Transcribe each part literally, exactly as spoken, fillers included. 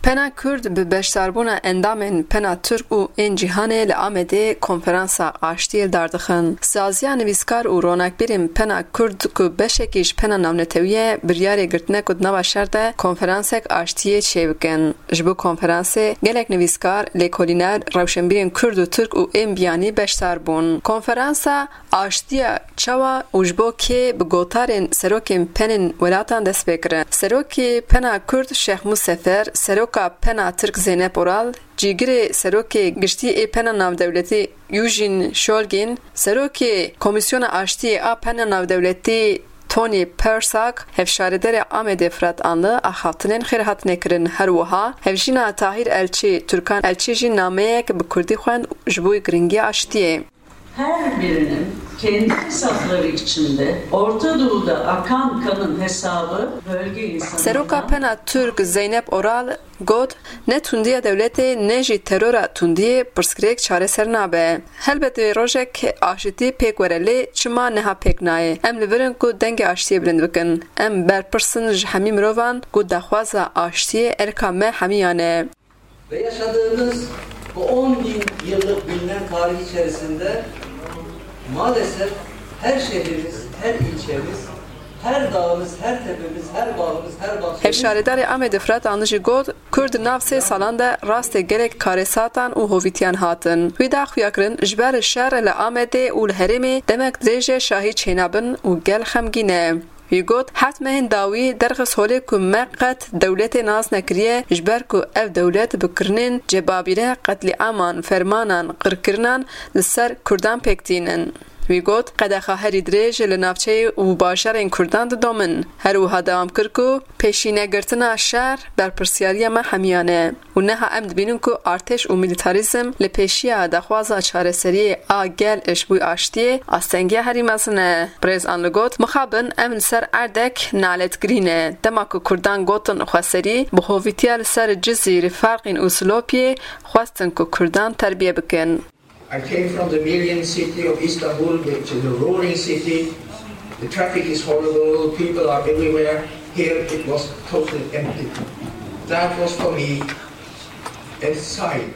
Pena Kurd bi beşdarbûna endamên Pena Tirk û ên cîhanê li Amedê konferansa aştiyê li dar dixin. Saziya nivîskar û ronakbîrên Pena Kurd ku beşekî ji Pena Navnetewî ye, biryarê girtine ku di nava şer de konferansek aştiyê çêbikin. Ji bo konferansê gelek nivîskar, lêkolîner, rewşenbîrên Kurd û Tirk û ên biyanî beşdar bûn. Konferansa aştiya çawa û ji bo kê bi gotarên serokên penên welatan dest pê kirin. Serokê Pena Kurd Şêx Mû Sefer, seroka Pena Tirk Zeynep Oral, cîgirê serokê giştî ê Pena Navdewletî Eugene Shulgin, serokê Komîsyona Aştiyê a Pena Navdewletî Tony Persak, hevşaredarê Amedê Fırat Anlı axaftinên xêrhatinê kirin. Her wiha hevjîna Tahîr Elçî, Türkan Elçî jî nameyek bi kurdî xwend ji bo giringiya aştiyê. Her birinin kendi hesapları içinde Orta Doğu'da akan kanın hesabı bölge insanına Seroka Pena Türk Zeynep Oral got, ne tundiya dewletê ne jî terora tundiyê pirsgirêk çareser nabe. Helbet ê rojek aşitî pêk were, lê çima niha pêk nayê? Em li vir in ku dengê aştiyê bilind bikin. Em berpirs in ji hemî mirovan ku daxwaza aştiyê erka me hemiyan e. Ve yaşadığımız bu on bin yıllık bilinen tarih içerisinde maalesef her şehrimiz, her ilçemiz, her dağımız, her tepemiz, her bağımız, her bahçemiz Hevşaredarê Amedê Fırat Anlı jî got, Kurd di nav sê salan de rastê gelek karesatan û hovîtiyan hatin. Wî da xuyakirin, ji ber şer li Amedê û li herêmê demek dirêj e şahî çênabin û gel xemgîn e. Wî got, heft mehên dawî derxist holê ku me qet dewletê nas nekiriye, ji ber ku ev dewlet bi kirinên cebabîre, qetlîaman, fermanan, qirkirinan li ser Kurdan pêk tînin. Wî got, qedexa herî dirêj li navçeyê û bajarên Kurdan didomin. Her wiha dewam kir ku pêşînegirtina şer berpirsiyariya me hemiyan e. Û niha em dibînin ku artêş û milîtarîzm li pêşiya daxwaza çareseriyê a gel ji bo aştiyê astengiya herî mezin e. Birêz Anli got, mixabin em li ser erdek naletgirî ne. Dema ku Kurdan gotin xweserî, bi hovîtiya li ser Cizîr, Ferqîn û Silopiyê xwestin ku Kurdan terbiye bikin. I came from the million city of Istanbul, which is a roaring city. The traffic is horrible, people are everywhere. Here it was totally empty. That was for me a sign.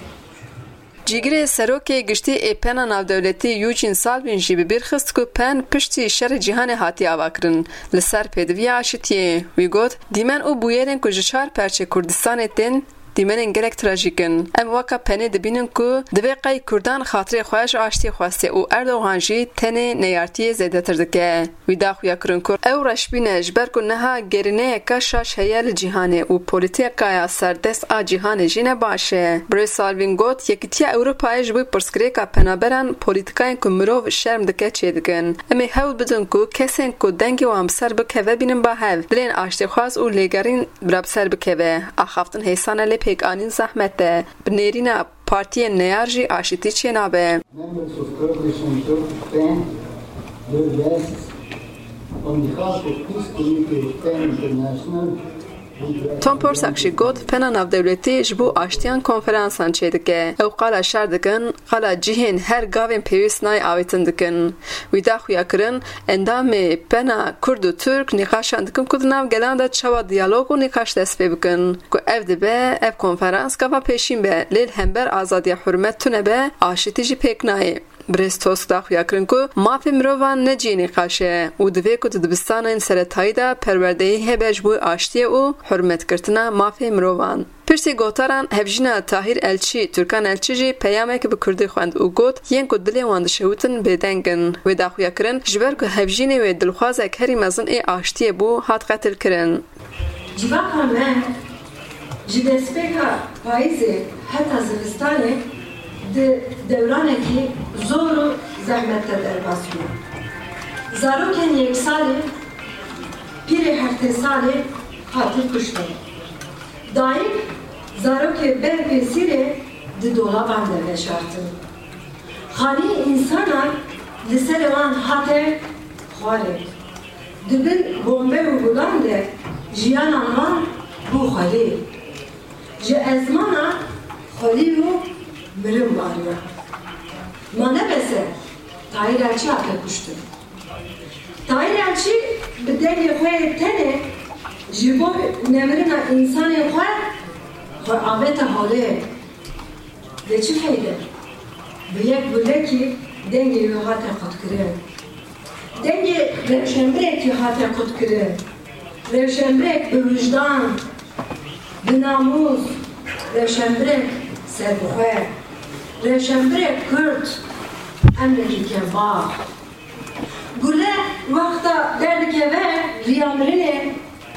Cîgirê serokê giştî ê Pena Navdewletî Eugene Salvin jî bi bîr xist ku pen piştî şerê cîhanê hatiye avakirin li ser pêdiviya aşitiyê. Wî got, dîmen û bûyerên ku ji çar perçê Kurdistanê tên, dîmenên gelek trajîk in. Em weka penê dibînin ku divê qey Kurdan xatirê xwe ji aştiyê xwestiye û Erdogan jî tenê neyartiyê zêdetir dike. Wî da xuyakirin ku ew reşbîn e, ji ber ku niha gerîneyeke şaş heye li cîhanê û polîtîkaya serdest a cîhanê jî ne baş e. Birêz Salvin got, Yekîtiya Ewropayê ji bo pirsgirêka penaberan polîtîkayên ku mirov şerm dike çêdikin. Em ê hewl bidin ku kesên ku dengê wan bi ser bikeve bînin ba hev. Dilên aştîxwaz û lêgerîn bila bi ser bikeve. Axaftin hêsan e lê pêkanîn zehmet e. Bi nêrîna partiyên neyar jî aşitî çênabe. Members of Kurdish and Turkish PEN, your guests, on behalf of Peace Committee of PEN International, Tom Persak jî got, Pena Navdewletî ji bo aştiyan konferansan çêdike. Ew qala şer dikin, qala cihên her gavên pêwîst nayê avêtin dikin. Wî da xuyakirin, endamê Pena Kurd û Tirk nîqaşan dikin ku di nav gelan de çawa diyalog û nîqaş dest pê bikin. Ku ev dibe, ev konferans gava pêşîn be, lê li hember azadiya hurmet tune be, aşitî jî pêk nayê. Birêz Tusk da xuyakirin ku mafê mirovan ne cihê nîqaş e û divê ku di dibistanên seretayî de perwerdeyî hebe ji bo aştiyê û hurmetgirtina mafê mirovan. Piştî gotaran hevjîna Tahîr Elçî, Türkan Elçî jî peyamek bi kurdî xwend û got, yên ku dilê wan dişewitin bêdeng in. Wê da xuyakirin, ji ber ku hevjînê wê dilxwazek herî mezin ê aştiyê bû, hat qetilkirin. Civaka me ji destpêka payîzê heta zivistanê di dewranekî zor û zehmet de derbas bû. Zarokên yek salî, pîrê heftê salî hatin kuştin. Dayik zarokê ber pêsîrê di dolaban de veşartin. Xanî însanan li serê wan hate xwarê. Di bin bombe û gulan de jiyanan wan bû xwelî. Ji ezmana xwelî û mirin bariya. Ma ne bes e, Tahîr Elçî hate kuştin. Tahîr Elçî bi dengê xwe yê tenê ji bo nemirina însanên xwe Xwe avête holê. Lê çi feyde? Bi yek gulekî dengê wî hate qutkirin. Dengê rewşenbirekî hate qutkirin. Rewşenbirek bi wijdan, bi namûs, rewşenbirek serbixwe, rewşenbirek kurd, emrekî kevbax. Gule wexta derdikeve riya mirinê,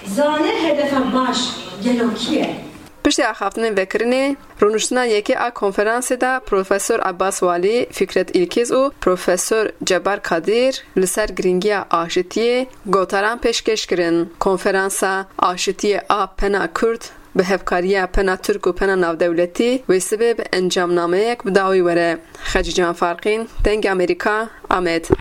zane hedefa baş gelo kî ye? Piştî axaftinên vekirinê, rûniştina yekê a konferansê de Profesor Abbas Walî, Fikret Îlkiz û Profesor Cebar Kadîr li ser girîngiya aşitiyê gotaran pêşkêş kirin. Konferansa Aşitiyê a Pena Kurd bi hevkariya Pena Tirk û Pena Navdewletî wê sibê bi encamnameyek bi dawî were. Xecîcan Farqîn, Dengê Amerîka, Amed.